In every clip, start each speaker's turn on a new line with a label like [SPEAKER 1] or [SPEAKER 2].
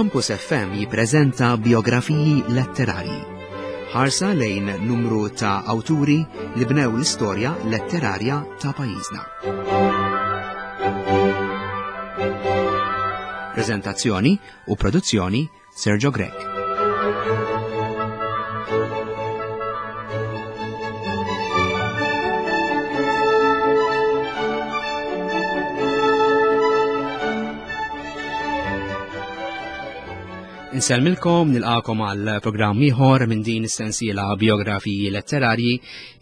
[SPEAKER 1] Campus FM jippreżenta biografiji letterarji. Ħarsa lejn numru ta' awturi li bnew l-istorja letterarja ta' pajjiżna. Prezentazzjoni u produzzjoni Sergio Grech. Insellmilkom nilqakom għal programm ieħor minn din is-sensiela biografiji letterarji.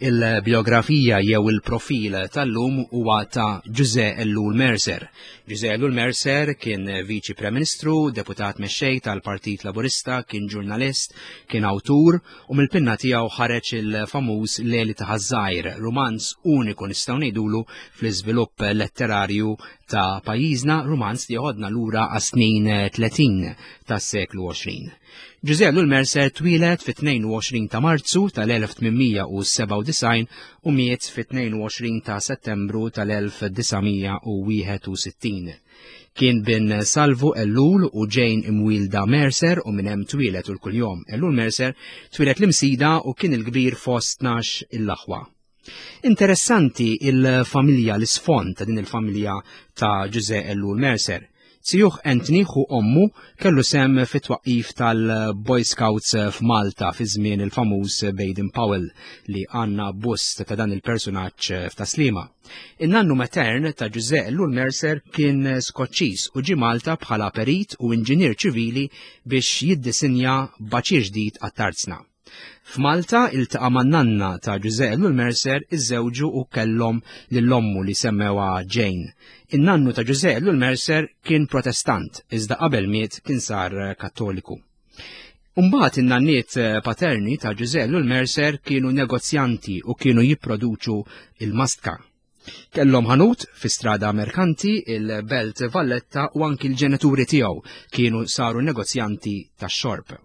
[SPEAKER 1] Il-biografija jew il-profil tal-lum huwa ta' Ġuże Ellul Mercer. Ġuże Ellul Mercer kien Viċi Prim Ministru, deputat mexxej tal-Partit Laburista, kien ġurnalist, kien awtur u mill-pinna tiegħu ħareġ il-famuż Leli ta' Ħaż-Żgħir, rumanz uniku nistgħu ngħidulu fl-iżvilupp letterarju ta' pajjiżna, rumanz li joħodna lura għas-snin 30 tas-seklu 20. Ġużè Ellul Mercer twieled fit-22 ta' Marzu tal-1897 u miet fit-22 ta' Settembru tal-1961. Kien bin Salvu Ellul u Jane imwielda Mercer u minn hemm twieled u l-kuljom Ellul Mercer twieled l-Imsida u kien il-kbir fost 12 il-aħwa. Interessanti il-familja, l-isfond ta' din il-familja ta' Ġuże Ellul Mercer. Zijuh Anthony ħu ommu kellu sem fit-twaqqif tal-Boy Scouts f'Malta fi żmien il-famuż Baden Powell li għandna bust ta' dan il-persunaġġ f'Taslima. In-nannu matern ta' Ġuże Ellul Mercer kien Skoċċiż u ġie Malta bħala perit u inġinier ċivili biex jiddisinja baċir ġdid għat-tarzna. F'Malta iltaqa' man-nanna ta' Ġużè Ellul Mercer iżżewġu u kellhom lil ommu li semmewha Jane. In-nannu ta' Ġużè Ellul Mercer kien Protestant iżda qabel miet kien sar Kattoliku. Umbagħad in-nanniet paterni ta' Ġużè Ellul Mercer kienu negozjanti u kienu jipproduċu il-mastka. Kellhom ħanut fi strada Merkanti, il-Belt Valletta u anki l-ġenituri tiegħu kienu saru negozjanti tax-xorb.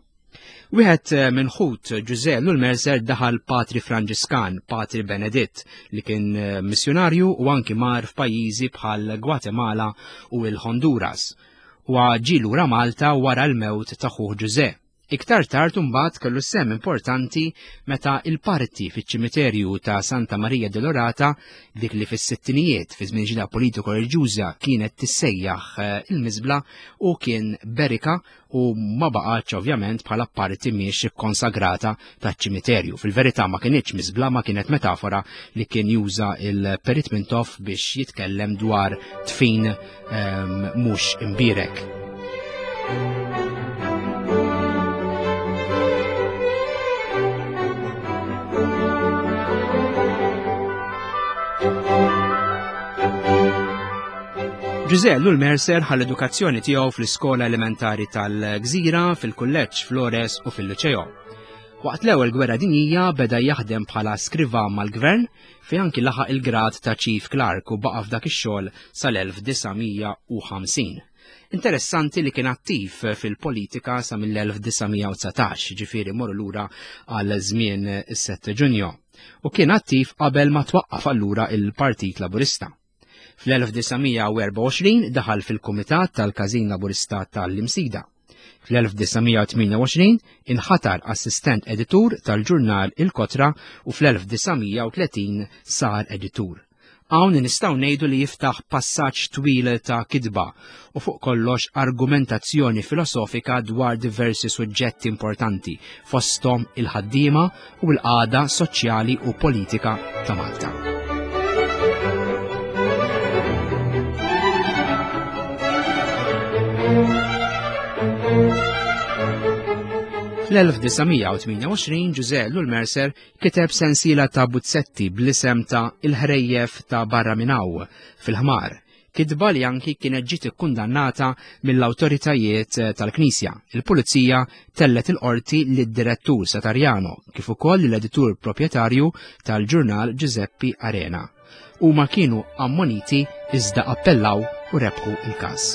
[SPEAKER 1] Wieħed eh, minn ħut Ġużè Lul Mercer daħal Patri Franġiskan, Patri Beneditt, li kien eh, missjonarju u anki mar f'pajjiżi bħal Gwatemala u l-Honduras. U ġie lura Malta wara l-mewt ta' ħuh Ġużè. Iktar tard imbagħad kellu sehem importanti meta il-parti fiċ-ċimiterju ta' Santa Maria Dolorata, dik li fis-sittinijiet fi żmien ġida politiko reliġjuża kienet tissejjaħ eh, il-miżbla u kien berika u ma baqgħetx ovvjament bħala parti mhix ikkonsagrata taċ-ċimiterju. Fil-verità ma kinitx miżbla ma kienet metafora li kien juża il-Perit Mintoff biex jitkellem dwar tfin ehm, mhux imbierek. Ġużè Lul Mercer ħall edukazzjoni tiegħu fl-iskola elementari tal-Gżira, fil-kulleġġ Flores u fil-Liċeo. Waqt l-ewwel gwerra dinjija beda jaħdem bħala skriva mal-gvern fejn anki laħaq il-grad ta' Chief Clerk u baqa' f'dak ix-xogħol sal-1950. Interessanti li kien attiv fil-politika sa mill-1919, ġifieri morru lura għal żmien is-7 Ġunju, u kien attiv qabel ma twaqqaf allura il-Partit Laburista. Fl-1924 daħal fil-Kumitat tal-Każin Laburista tal-Imsida. Fl-1928 inħatar assistent editur tal-ġurnal Il-Kotra u fl-1930 sar editur. Hawn nistgħu ngħidu li jiftaħ passaġġ twil ta' kitba u fuq kollox argumentazzjoni filosofika dwar diversi suġġetti importanti fosthom il-ħaddiema u l-qagħda soċjali u politika ta' Malta. Fl-1928 Ġużè Lul Mercer kiteb sensiela ta' buzzetti bl-isem ta' Il-ħrejjef ta' barra minn hawn fil-ħmar kitba li anki kienet ġiet ikkundannata mill-awtoritajiet eh, tal-Knisja. Il-Pulizija tellet il-qorti lid-direttur Satarjano kif ukoll l-editur proprjetarju tal-ġurnal Giuseppe Arena. Huma kienu ammoniti iżda appellaw u rebħu il-każ.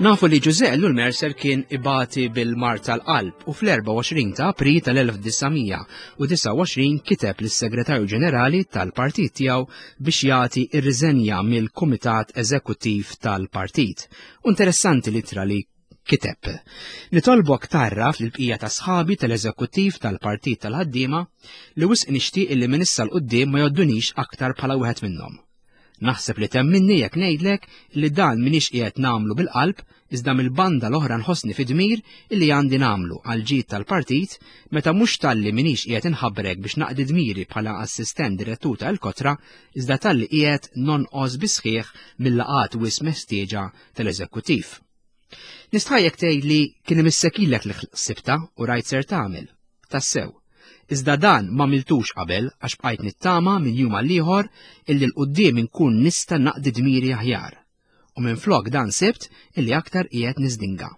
[SPEAKER 1] Nafu li Ġużè Ellul Mercer kien ibati bil-mard tal-qalb u fl-24 ta' April tal-1929 kiteb lis-Segretarju Ġenerali tal-partit tiegħu biex jagħti r-riżenja mill-Kumitat Eżekuttiv tal-Partit. U interessanti l-ittra li kiteb. Nitolbok tgħarraf lill-bqija ta' sħabi tal-Eżekuttiv tal-Partit tal-Ħaddiema li wisq nixtieq illi minn issa 'l quddiem ma jgħoddunix aktar bħala wieħed minnhom. Naħseb li temminni jekk ngħidlek li dan m'iniex qiegħed nagħmlu bil-qalb iżda mill-banda l-oħra nħossni fi dmir illi għandi nagħmlu għall-ġid tal-partit meta mhux talli m'iniex qiegħed inħabbrek biex naqdi dmiri bħala assistent direttur ta' Il-Kotra iżda talli qiegħed nonqos bis-sħiħ mil-laqgħat wisq meħtieġa tal-eżekkutiv. Nistħajjek tgħidli kien imissek ilek li ħsibtha u rajt ser tagħmel. Tassew. Iżda dan m'għamiltux qabel għax bqajt nittama minn jum għal ieħor illi 'l quddiem inkun nista' naqdi dmiri aħjar. U minflok dan sibt illi aktar qiegħed niżdinga.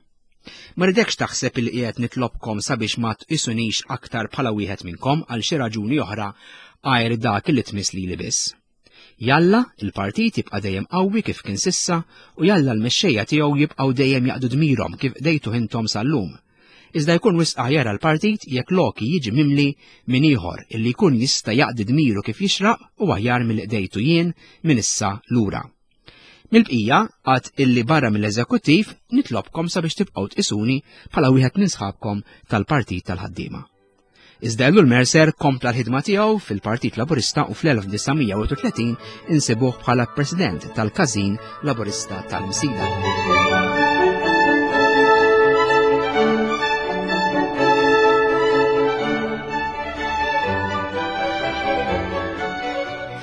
[SPEAKER 1] Ma rridekx taħseb illi qiegħed nitlobkom sabiex ma tqisunix aktar bħala wieħed minnkom għal xi raġuni oħra għajr dak illi tmiss lili biss. Jalla il-partit jibqa' dejjem qawwi kif kien s'issa u jalla l-mexxejja tiegħu jibqgħu dejjem jaqdu dmirhom kif qdejtuh intom sal-lum. Iżda jkun wisq aħjar għall-partit jekk loki jiġi mimli minn ieħor illi jkun jista' jaqdi dmiru kif jixraq u aħjar milli qdejtu jien minn issa lura. Mill-bqija, għad illi barra mill-eżekuttiv nitlobkom sabiex tibqgħu tqisuni bħala wieħed minn sħabkom tal-Partit tal-Ħaddiema. Iżda Ellul Mercer kompla l-ħidma tiegħu fil-Partit Laburista u fl-1931 insibuh bħala President tal-Każin Laburista tal-Msida.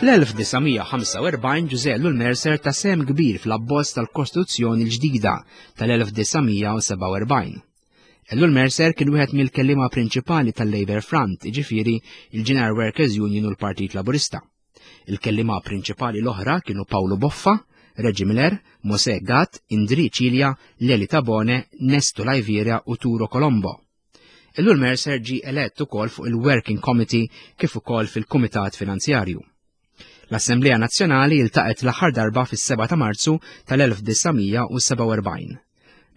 [SPEAKER 1] Fl-1945 Ġużè Ellul Mercer ta sehem kbir fl-abbozz tal-Kostituzzjoni l-ġdida tal-1947. Ellul Mercer kien wieħed mill-kelliema prinċipali tal-Labour Front, jiġifieri il-General Workers Union u l-Partit Laburista. Il-kelliema prinċipali l-oħra kienu Paolo Boffa, Reggie Miller, Mosè Gatt, Indri Cilia, Leli Tabone, Nesto Laiviera u Turo Colombo. Ellul Mercer ġie elett ukoll fuq il-Working Committee kif ukoll fil-Kumitat Finanzjarju. L-Assemblea Nazzjonali iltaqgħet l-aħħar darba fis-7 ta' Marzu tal-1947.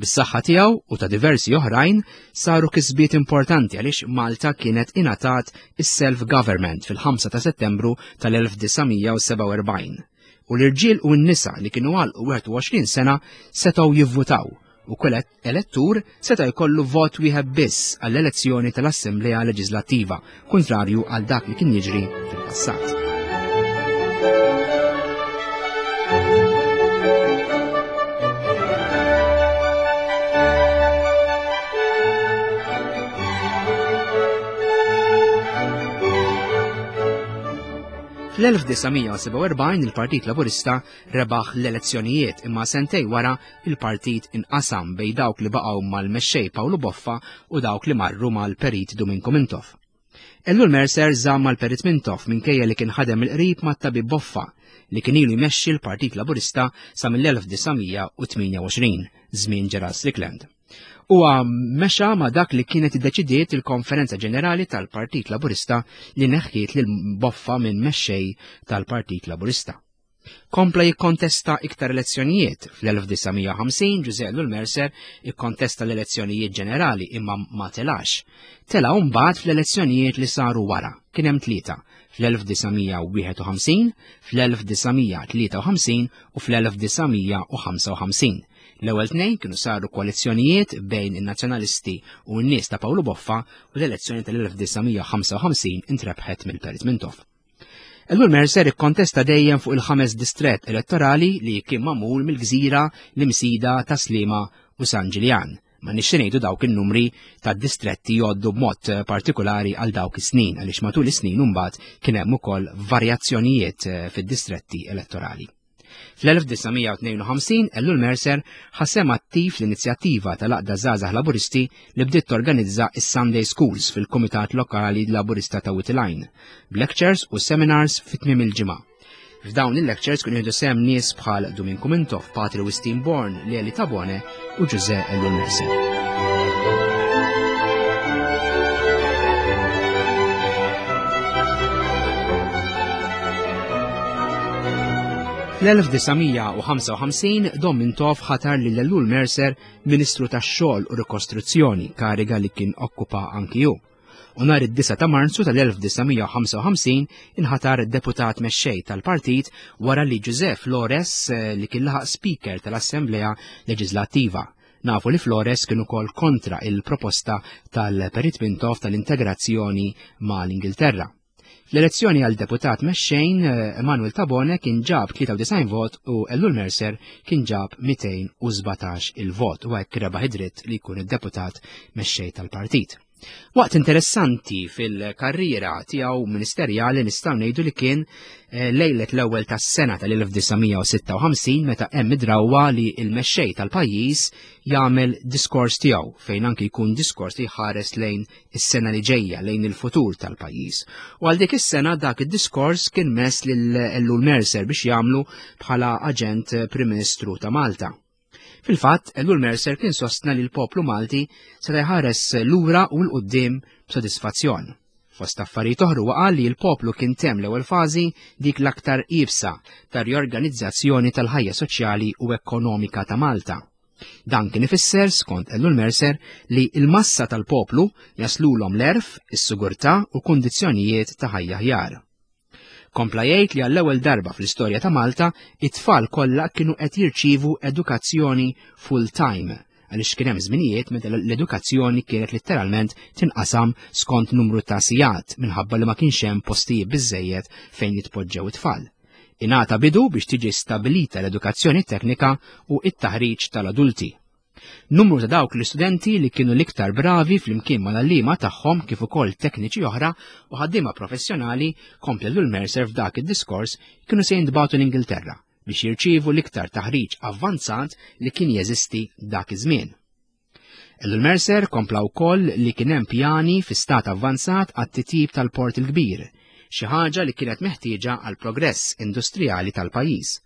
[SPEAKER 1] Bis-saħħa tiegħu u ta' diversi oħrajn saru kisbiet importanti għaliex Malta kienet ingħatat is-self-government fil-5 ta' Settembru tal-1947 u l-irġiel u n-nisa li kienu għalqu 21 sena setgħu jivvutaw u kull elettur seta' jkollu vot wieħed biss għall-elezzjoni tal-Assemblea Leġislattiva, kuntrarju għal dak li kien jiġri fil-passat. Fl-1947 il-Partit Laburista rebaħ l-elezzjonijiet imma sentej wara il-partit inqasam bejn dawk li baqgħu mal-mexxej Pawlu Boffa u dawk li marru mal-Perit Duminku Mintoff. Ellul Mercer żamm mal-Perit Mintoff minkejja li kien ħadem il-qrib mat-tabib Boffa li kien ilu jmexxi l-Partit Laburista sa mill-1928, żmien Gerald Strickland. Huwa mexa ma' dak li kienet iddeċidiet il-Konferenza Ġenerali tal-Partit Laburista li neħħiet lil Boffa minn mexxej tal-Partit Laburista. Kompla jikkontesta iktar elezzjonijiet. Fl-1950 Ġużè Ellul Mercer ikkontesta l-elezzjonijiet ġenerali imma ma telax. Tela' mbagħad fl-elezzjonijiet li saru wara. Kien hemm tlieta, fl-1951, fl-1953 u fl-1955. L-ewwel tnejn kienu saru koalizzjonijiet bejn in-Nazzjonalisti u n-nies ta' Pawlu Boffa u l-elezzjoni tal-1955 intrebħet mill-Perit Mintoff. Ellul Mercer ikkontesta dejjem fuq il-ħames distrett elettorali li kien magħmul mill-Gżira, l-Imsida, Tas-Sliema u San Ġiljan. Ma nixxi ngħidu dawk in-numri tad-distretti jgħoddu b'mod partikolari għal dawk is-snin għaliex matul is-snin imbagħad kien hemm ukoll varjazzjonijiet eh, fid-distretti elettorali. Fl-1952 Ellul Mercer ħa sehem attiv fl-inizjattiva tal-Għaqda Żgħażagħ Laburisti li bdiet torganizza s-Sunday Schools fil-Kumitat Lokali Laburista ta' Witilajn, b'lectures u seminars fi tmiem il-ġimgħa. F'dawn il-lectures kienu jieħdu sehem nies bħal Duminku Mintoff, Patri Wistin Born, Leli Tabone u Ġużè Ellul Mercer. Fl-1955 Dom Mintoff ħatar lil Ellul Mercer Ministru tax-Xogħol u Rikostruzzjoni, kariga li kien okkupa anki hu. U nhar id-9 ta' Marzu tal-1955 inħatar deputat mexxej tal-partit wara li Giuseppe Flores eh, li kien laħaq speaker tal-Assemblea Leġislattiva. Nafu li Flores kien ukoll kontra il-proposta tal-Perit Mintoff tal-integrazzjoni mal-Ingilterra. Fl-elezzjoni għal deputat mexxejn, eh, Emanuel Tabone kien ġab 93 vot u Ellul Mercer kien ġab 217 il-vot u hekk rebaħ id-dritt li jkun id-deputat mexxej tal-partit. Waqt interessanti fil-karriera tiegħu ministerjali nistgħu ngħidu li kien eh, lejlet l-ewwel tas-sena tal-1956 meta hemm id-drawwa li l-mexxej tal-pajjiż jagħmel diskors tiegħu fejn anki jkun diskors li jħares lejn is-sena li ġejja lejn il-futur tal-pajjiż. U għal dik is-sena dak id-diskors kien mess lil Ellul Mercer biex jagħmlu bħala aġent Prim Ministru ta' Malta. Fil-fatt, Ellul Mercer kien sostna li l-poplu Malti seta' jħares lura u l-qudiem b'sodisfazzjon. Fost affarijiet oħra huwa qal li l-poplu kien temm l-ewwel fażi dik l-aktar iebsa ta' riorganizzazzjoni tal-ħajja soċjali u ekonomika ta' Malta. Dan kien ifisser, skont Ellul Mercer, li l-massa tal-poplu jaslulhom l-għerf, is-sigurtà u kundizzjonijiet ta' ħajja aħjar. Kompla jgħid li għall-ewwel darba fl-istorja ta' Malta, it-tfal kollha kienu qed jirċievu edukazzjoni full-time għaliex kien hemm żminijiet meta l-edukazzjoni kienet litteralment tinqasam skont numru ta' sigħat minħabba li ma kienx hemm postijiet biżejjed fejn jitpoġġew it-tfal. Ingħata bidu biex tiġi stabilita l-edukazzjoni teknika u t-taħriġ tal-adulti. Numru ta' dawk l-istudenti li kienu l-iktar bravi flimkien mal-għalliema tagħhom kif ukoll tekniċi oħra u ħaddiema professjonali kompla Lul Mercer f'dak id-diskors kienu se jintbagħtu l-Ingilterra biex jirċievu l-iktar taħriġ avvanzat li kien jeżisti dak iż-żmien. Ellul Mercer kompla wkoll li kien hemm pjani fi stat avvanzat għat-titjib tal-Port il-Kbir, xi ħaġa li kienet meħtieġa għal progress industrijali tal-pajjiż.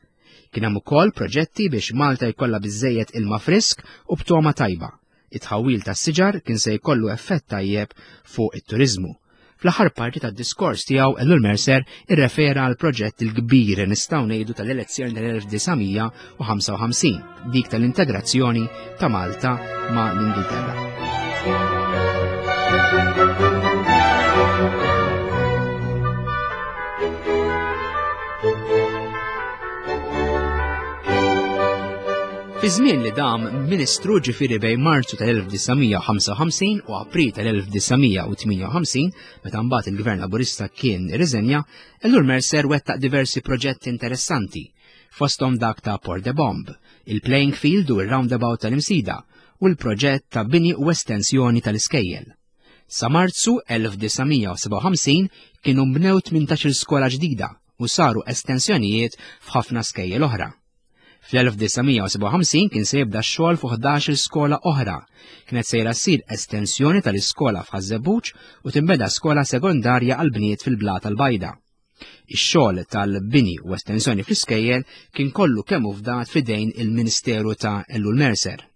[SPEAKER 1] Kien hemm ukoll proġetti biex Malta jkollha biżżejjed ilma frisk u b'togħma tajba. It-tħawwil tas-siġar kien se jkollu effett tajjeb fuq it-turiżmu. Fl-aħħar parti tad-diskors tiegħu Ellul Mercer irrefera għal proġett il-kbir nistgħu ngħidu tal-elezzjoni tal-1955, dik tal-integrazzjoni ta' Malta ma' l-Ingilterra. Fi żmien li dam Ministru ġifieri bejn Marzu tal-1955 u April tal-1958, meta mbagħad il-Gvern Laburista kien irriżenja, Ellul Mercer wettaq diversi proġetti interessanti, fosthom dak ta' Port de Bomb, il-playing field u r-roundabout tal-Imsida, u l-proġett ta' bini u estensjoni tal-iskejjel. Sa Marzu 1957 kienu nbnew 18-il skola ġdida u saru estensjonijiet f'ħafna skejjel oħra. Fl-1957 kien se jibda x-xogħol fuq 11-il skola oħra. Kienet sejra ssir estensjoni tal-iskola f'Ħaż-Żebbuġ u tinbeda skola sekondarja għal bniet fil-Blata l-Bajda. Ix-xogħol tal-bini u estensjoni fl-iskejjel kien kollu kemm hu fdat f'idejn il-Ministeru ta' Ellul Mercer.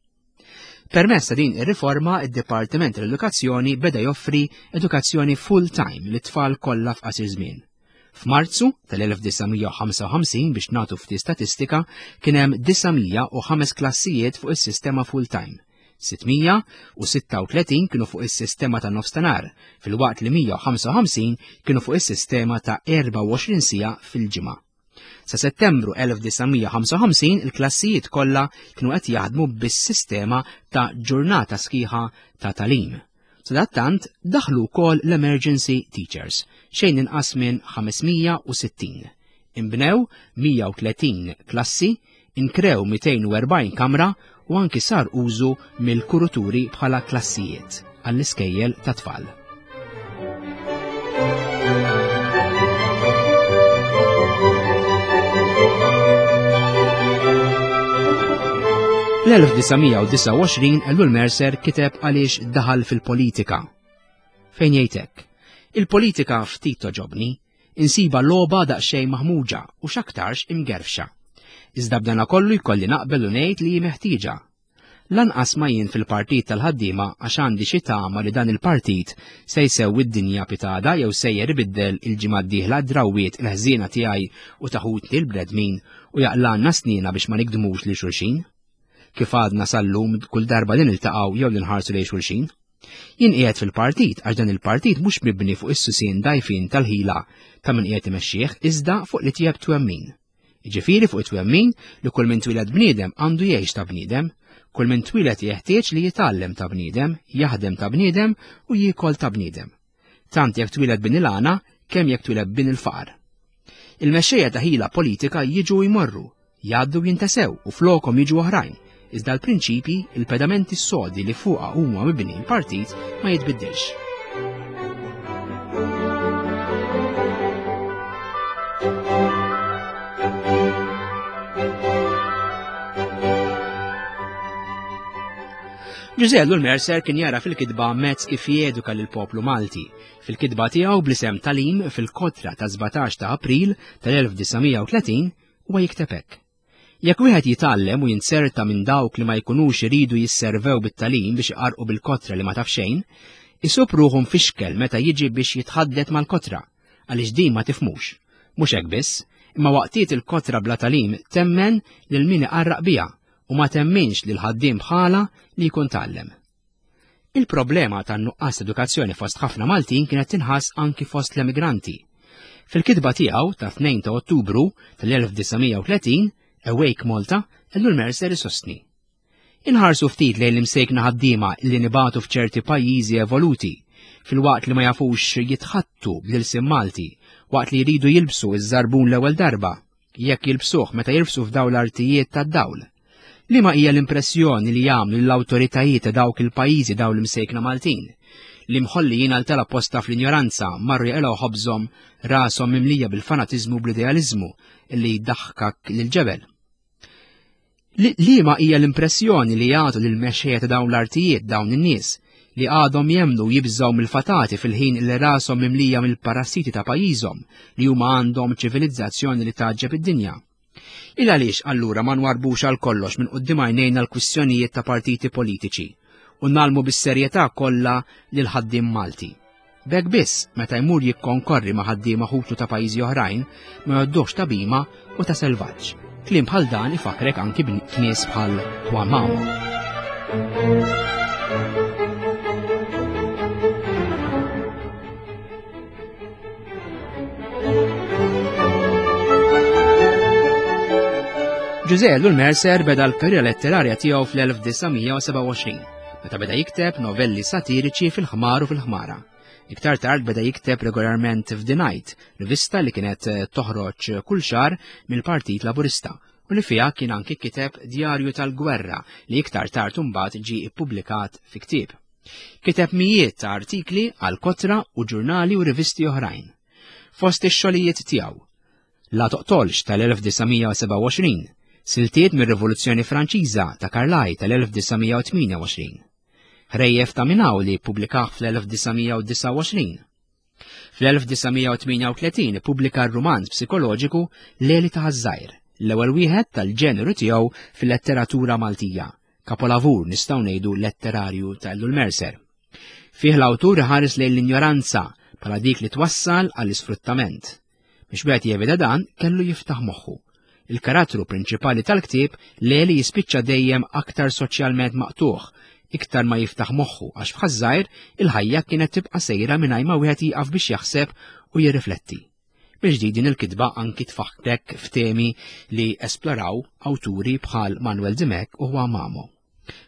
[SPEAKER 1] Permezz ta' din ir-riforma, id-Dipartiment tal-Edukazzjoni beda joffri edukazzjoni full-time lit-tfal kollha f'qasir żmien. F'Marzu tal-1955 biex nagħtu ftit statistika kien hemm 905 klassijiet fuq is-sistema full-time. 636 kienu fuq is-sistema ta' nofstanhar, filwaqt li 155 kienu fuq is-sistema ta' 24 siegħa fil-ġimgħa. Sa Settembru 1955 il-klassijiet kollha kienu qed jaħdmu bis-sistema ta' ġurnata sħiħa ta' tagħlim. Sadattant daħlu wkoll l-emergency teachers, xejn inqas minn 560. Inbnew 130 klassi, inkrew 240 kamra u anki sar użu mill-kuruturi bħala klassijiet għall-iskejjel ta' tfal. Fl-1929 Ellul Mercer kiteb għaliex daħal fil-politika. Fejn jgħid hekk? Il-politika ftit toġobni, insiba logħba daqsxejn maħmuġa u x'aktarx imgerfxa. Iżda b'dana kollu jkolli naqbel u ngħid li hi meħtieġa. Lanqas ma jien fil-partit tal-ħaddiema għax għandi xi tama li dan il-partit se jsewwi d-dinja pitada jew sejjer ibiddel il-ġimgħa d-dieħla d-drawwiet il-ħżiena tiegħi u ta' ħutni l-bnedmin u jaqlgħalna sniena biex ma nigdmux lil xulxin. Kif għadna sal-lum kull darba li niltaqgħu jew li nħarsu lejn xulxin. Jien qiegħed fil-partit għax dan il-partit mhux mibni fuq is-susien dgħajfin tal-ħila ta' min qiegħed imexxih iżda fuq li tiegħek twemmin. Jiġifieri fuq it-twemmin li kull min twieled bniedem għandu jgħix ta' bniedem, kull min twieled jeħtieġ li jitgħallem ta' bniedem, jaħdem ta' bniedem u jiekol ta' bniedem. Tant jekk twieled bin il-għana, kemm jekk twieled bin il-faqar. Il-mexxejja ta' ħila politika jiġu u jmorru, jgħaddu u jintesew u flokhom jiġu oħrajn, iżda l-prinċipji, il-pedamenti sodi li fuqha huma mibni l-partit ma jitbiddilx. Ġużè Ellul Mercer kien jara fil-kitba mezz kif jeduka lill-poplu Malti. Fil-kitba tiegħu bl-isem Talim fil-kotra ta' 17 ta' April tal-1930 huwa jikteb hekk. Jekk wieħed jitgħallem u jinzerta minn dawk li ma jkunux iridu jisservew bit-tagħlim biex iqarrqu bil-kotra li ma taf xejn, isub ruħu mfixkel meta jiġi biex jitħaddet mal-kotra, għaliex din ma tifhmux. Mhux hekk biss, imma waqtiet il-kotra bla tagħlim temmen lil min iqarraq biha u ma temminx lil ħaddiem bħalha li jkun tgħallem. Il-problema tan-nuqqas edukazzjoni fost ħafna Maltin kienet tinħass anki fost l-emigranti. Fil-kitba tiegħu ta' 2 ta' Ottubru tal-1930, Awake Malta, Ellul Mercer isostni. Inħarsu ftit lejn l-imsejkna ħaddiema li nibatu f'ċerti pajjiżi evoluti, filwaqt li ma jafux jitħattu bl-ilsien Malti, waqt li jridu jilbsu iż-żarbun l-ewwel darba, jekk jilbsuh meta jirfsu f'dawn l-artijiet tad-dawl. Liema hija l-impressjoni li jagħmlu lill-awtoritajiet ta' dawk il-pajjiżi dawn l-imsejkna Maltin, li mħollijin għal tal-apposta fl-injoranza marru jaqilgħu ħobżhom rashom mimlija bil-fanatiżmu u bl-idealiżmu li jdaħħkak lill-ġebel. Liema hija l-impressjoni li jagħtu lill-mexxejja ta' dawn l-artijiet dawn in-nies li għadhom jemmnu u jibżgħu mill-fatati fil-ħin li rashom mimlija mill-parassiti ta' pajjiżhom li huma għandhom ċivilizzazzjoni li tgħaġġeb id-dinja. Il għaliex allura ma nwarbux għal kollox minn quddiem għajnejna l-kwistjonijiet ta' partiti politiċi u nagħlmu bis-serjetà kollha lil ħaddiem Malti. B'hekk biss, meta jmur jikkonkorri ma' ħaddiema ħutu ta' pajjiżi oħrajn, ma jgħodduhx ta' bhima u ta' selvaġġ. Kliem bħal dan ifakrek anki b'nies bħal Juan Mamo. Ġużè Ellul Mercer beda l-karriera letterarja tiegħu fl-1927, meta beda jikteb novelli satiriċi fil-ħmar u fil-ħmara. Iktar tard beda jikteb regolarment f'The Night, rivista li kienet eh, toħroġ kull xahar mill-Partit Laburista u li fiha kien anki kiteb Djarju tal-Gwerra li iktar tard imbagħad ġie ippubblikat fi ktieb. Kiteb mijiet ta' artikli għal kotra u ġurnali u rivisti oħrajn. Fost ix-xogħlijiet tiegħu, La Toqtolx tal-1927, siltiet mir-Rivoluzzjoni Franċiża ta' Carlyle tal-1928, Ħrejjef ta' Minaw li ppubblikah fl-1929. Fl-1938 ippubblika r-rumanz psikoloġiku Leli ta' Ħaż-Żgħir, l-ewwel wieħed tal-ġeneru tiegħu fil-letteratura Maltija, kapolavur nistgħu ngħidu letterarju ta' Ellul Mercer. Fih l-awtur iħares lejn l-injoranza bħala dik li twassal għall-isfruttament. Biex wieħed jevita dan, kellu jiftaħ moħħu. Il-karattru prinċipali tal-ktieb Leli jispiċċa dejjem aktar soċjalment maqtugħ, iktar ma jiftaħ moħħu għax f'Ħaż-Żgħir il-ħajja kienet tibqa' sejra mingħajr ma wieħed jieqaf biex jaħseb u jirrifletti. Mill-ġdid din il-kitba anki tfaħħrek f'temi li esploraw awturi bħal Manuel Dimech u Juan Mamo.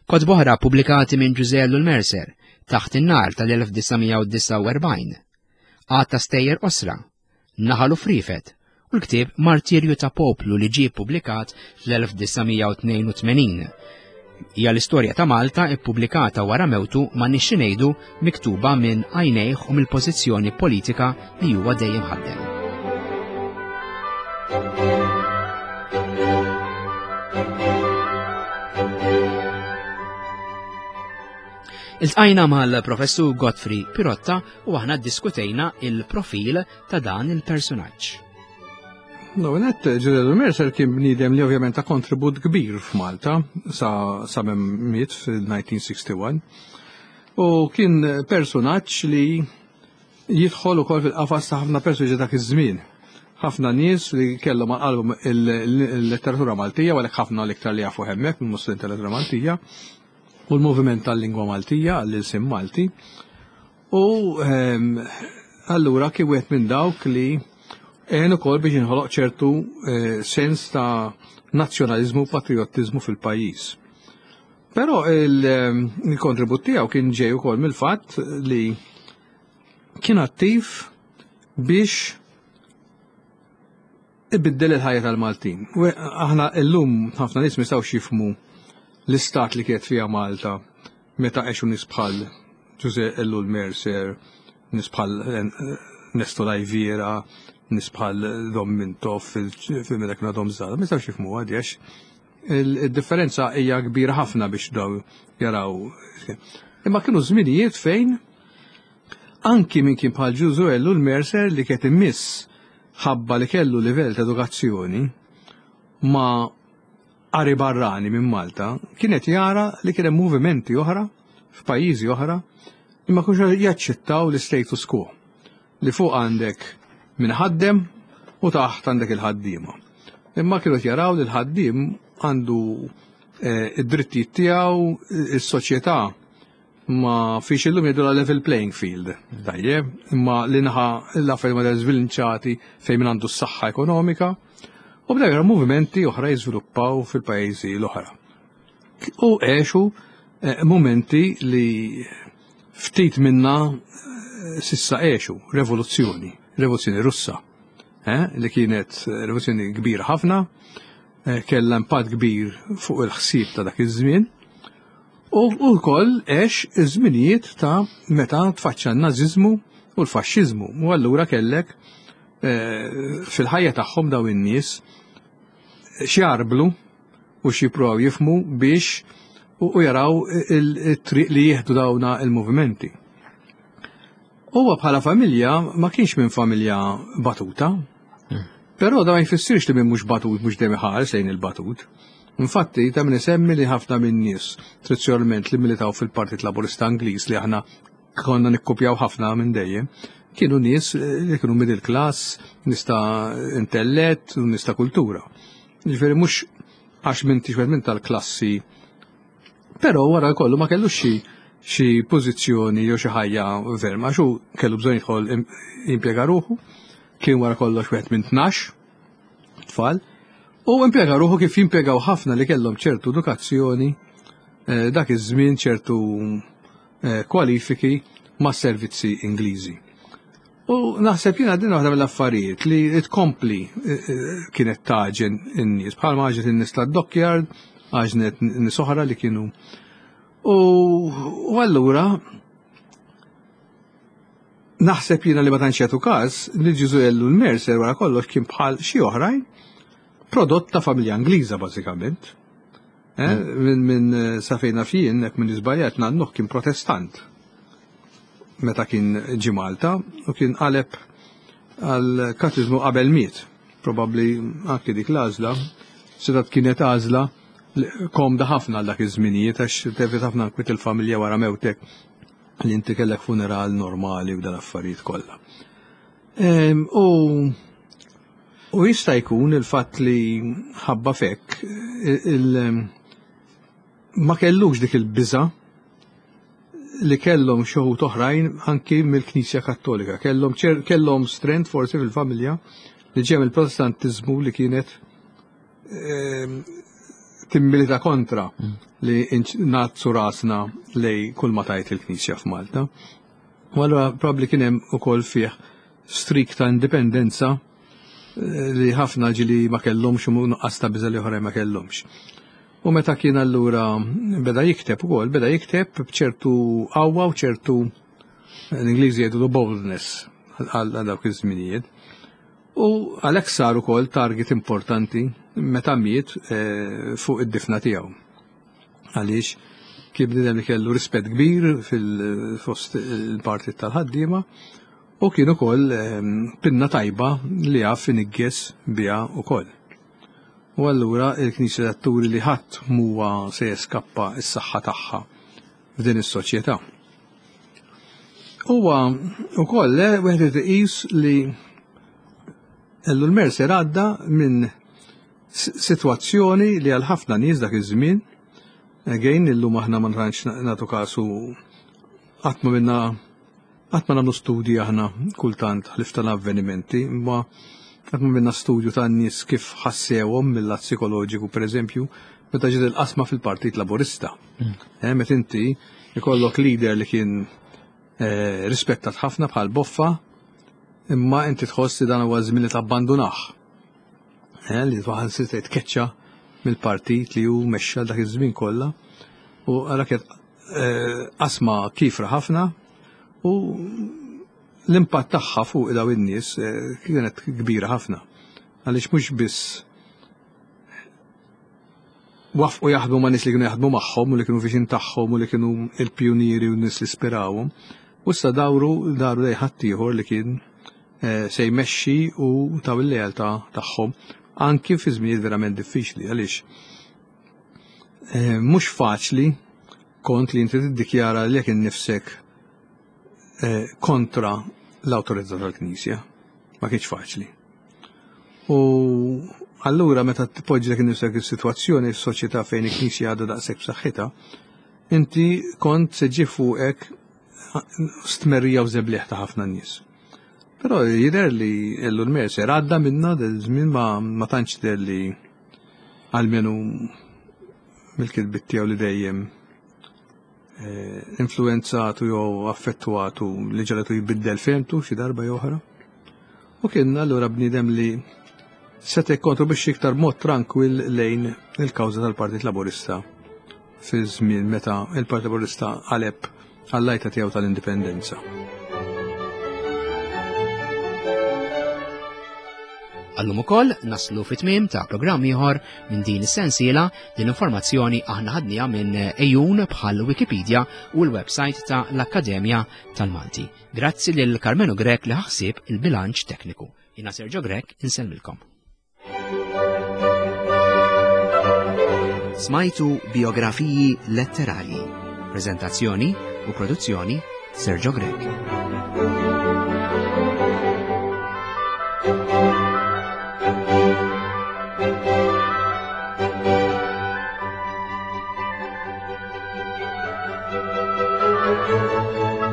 [SPEAKER 1] Kotba oħra ppubblikati minn Ġużè Ellul Mercer, Taħt in-Nar tal-1949, Għadd ta' stejjer qosra, Naħal u Friefet, u l-ktieb Martirju ta' Poplu li ġie ppubblikat fl-1982. Hija l-istorja ta' Malta ippubblikata wara mewtu ma nixxi ngħidu miktuba minn għajnejh u mill-pożizzjoni politika li huwa dejjem ħaddem. Iltqajna mal-Professur Godfrey Pirotta u aħna ddiskutejna il-profil ta' dan il-personaġġ.
[SPEAKER 2] L-ewwel nett, Ġużè Mercer kien bniedem li ovvjament ta kontribut kbir f'Malta sa sa miet fil-1961. U kien personaġġ li jidħol ukoll fil-qafas ta' ħafna persuni dak iż-żmien. Ħafna nies li kellhom għal qalbhom il-letteratura Maltija, u għalhekk ħafna l-iktar li jafu hemmhekk mill-Muslim tal-letteratura Maltija, u l-moviment tal-lingwa Maltija għall-ilsien Malti. U allura kien wieħed minn dawk li għen ukoll biex jinħoloq ċertu sens ta' nazzjonaliżmu u patriottiżmu fil-pajjiż. Però il-kontribut tiegħu kien ġej ukoll mill-fatt li kien attiv biex ibiddel il-ħajja tal-Maltin. Aħna illum ħafna nies mistgħux jifhmu l-istat li kienet fiha Malta meta għexu nies bħal Ġużè Ellul Mercer, nies bħal Nesto Lajviera, nies bħal Dom Mintoff fil-meta kienu għadhom żgħar, ma jistgħux jifhmuha di għax il-differenza hija kbira ħafna biex daw jaraw. Imma kienu żminijiet fejn anki min kien bħal Ġużè Ellul Mercer li kienet immiss ħabba li kellu livell ta' edukazzjoni ma qari barrani minn Malta, kienet jara li kien hemm movimenti oħra f'pajjiżi oħra li ma kienux jaċċettaw l-status quo li fuq għandek min ħaddem u taħt għandek il-ħaddiema. Imma kienu jaraw li l-ħaddiem għandu id-drittijiet tiegħu, is-soċjetà ma fiex illum jgħidu level playing field. Tajjeb, imma li naħa l-affarijiet ma żvilnċati fejn min għandu s-saħħa ekonomika u bdew jaraw movimenti oħra jiżviluppaw fil-pajjiżi l-oħra. U għexu momenti li ftit minna sissa għexu, rivoluzzjoni, rivoluzzjoni Russa, li kienet rivoluzzjoni kbira ħafna, kellha impatt kbir fuq il-ħsieb ta' dak iż-żmien. U wkoll għex iż-żminijiet ta' meta tfaċċa n-nażiżmu u l-faxxiżmu. U allura kellek fil-ħajja tagħhom daw in-nies x'jarblu u x'jippruvaw jifhmu biex u jaraw it-triq li jieħdu dawna il-movimenti. Huwa bħala familja ma kienx minn familja batuta, però da ma jfissirx li minn mhux batut mhux dejjem iħares lejn il-batut. Infatti, ta' min isemmi li ħafna minn nies tradizzjonalment li militaw fil-Partit Laburista Ingliż li aħna konna nikkupjaw ħafna minn dejjem, kienu nies li kienu middle class, nies ta' intellett, u nies ta' kultura. Ġifieri mhux għax m'intix wieħed minn tal-klassi, però wara kollu ma kellux xi pożizzjoni jew xi ħajja verma, għax hu kellu bżonn jidħol jimpjega ruħu, kien wara kollox wieħed minn 12 tfal, u impjega ruħu kif jimpjegaw ħafna li kellhom ċertu edukazzjoni dak iż-żmien, ċertu kwalifiki ma' servizzi Ingliżi. U naħseb jiena din waħda mill-affarijiet li tkompli kienet taġen in-nies, bħalma għaġnet in-nies tad-dockyard, għaġnet nies oħra li kienu. U allura naħseb jiena li ma tantx jagħtu każ li Ġużè Ellul Mercer wara kollox kien bħal xi oħrajn prodott ta' familja Ingliża bażikament. Minn sa fejn naf jien, jekk minn iżbaljat, nannuh kien Protestant meta kien ġie Malta u kien qaleb għal katizmu qabel miet. Probabbli anki dik l-għażla setat kienet għażla komda ħafna għal dak iż-żminijiet għax tevita ħafna nkwiet il-familja wara mewtek li inti kellek funeral normali u dan affarijiet kollha. U jista' jkun il-fatt li ħabba fekk ma kellux dik il-biża li kellhom xi wħud oħrajn anki mill-Knisja Kattolika. Kellhom strength forsi fil-familja li ġej mill-Protestantiżmu li kienet timmilita kontra li nazzu rasna lej kull ma tajt il-Knisja f'Malta. U allura probabbli kien hemm ukoll fih streak ta' indipendenza li ħafna ġili ma kellhomx u nuqqas ta' biża' li oħrajn ma kellhomx. U meta kien allura beda jikteb ukoll, beda jikteb b'ċertu qawwa u ċertu l-Ingliżi jgħidu boldness għal dawk iż-żminijiet. U għalhekk sar ukoll target importanti meta miet fuq id-difna tiegħu. Għaliex kien bniedem li kellu rispett kbir fil-fost il-partit tal-ħaddiema. U kien ukoll pinna tajba li jaf inigges biha ukoll. U allura il-Knisja turi li ħadd m'huwa se jeskappa s-saħħa tagħha f'din is-soċjetà. Huwa wkoll wieħed irid iqis li Ellul Mercer għadda minn sitwazzjoni li għal ħafna nies dak iż-żmien, again illum aħna ma tantx nagħtu kasu qatt ma minna qatt ma nagħmlu studji aħna kultant ħlief tal-avvenimenti, imma qatt ma minna studju tan-nies kif ħassewhom mill-lat psikoloġiku pereżempju meta ġiet il-qasma fil-Partit Laburista. Eh, meta inti ikollok leader li kien eh, rispettat ħafna bħal Boffa, imma inti tħoss li dan huwa żmien li tabbandunah. Eh, li twaħan se tkeċċa mill-partit li hu mexxa dak iż-żmien kollha u għara kienet eh, qasma kifra ħafna u l-impatt tagħha fuq daw in-nies eh, kienet kbira ħafna. Għaliex mhux biss wafqu jaħdmu ma' nies li kienu jaħdmu magħhom u li kienu viċin tagħhom u li kienu il-pjunieri u nies li spirawhom. U issa dawru daru lejn ħaddieħor li kien eh, se jmexxi u taw il-lealtà tagħhom anki fi żminijiet verament diffiċli għaliex eh, mhux faċli kont li inti tiddikjara lilek innifsek eh, kontra l-awtorità tal-Knisja. Ma kienx faċli. U allura meta tpoġġi innifsek is-sitwazzjoni f'soċjetà fejn il-Knisja għadha daqshekk b'saħħitha, inti kont se ġie fuqek stmerrija u żebliħ ta' ħafna nies. Però jidher li Ellul Mercer għadda minna dal-żmien ma, ma tantx deher li almenu mill-kitbiet tiegħu li dejjem eh, influenzatu jew affettwatu li ġaletu jbiddel fehmtu xi darba jew oħra. U kien allura bniedem li seta' jikkontribwixxi iktar mod trankwill lejn il-kawża tal-Partit Laburista fi żmien meta il-Partit Laburista qaleb għall-għajta tiegħu tal-indipendenza.
[SPEAKER 1] Għallum ukoll naslu fit-tmiem ta' programm ieħor minn din is-sensiela din informazzjoni aħna ħadniha minn ejjun bħal Wikipedia u l-website ta' l-Akkademja tal-Malti. Grazzi lil Karmenu Grech li ħaħsib il-bilanċ tekniku. Jina Sergio Grech insellmilkom. Smajtu biografiji letterarji. Prezentazzjoni u produzzjoni Sergio Grech. Thank you.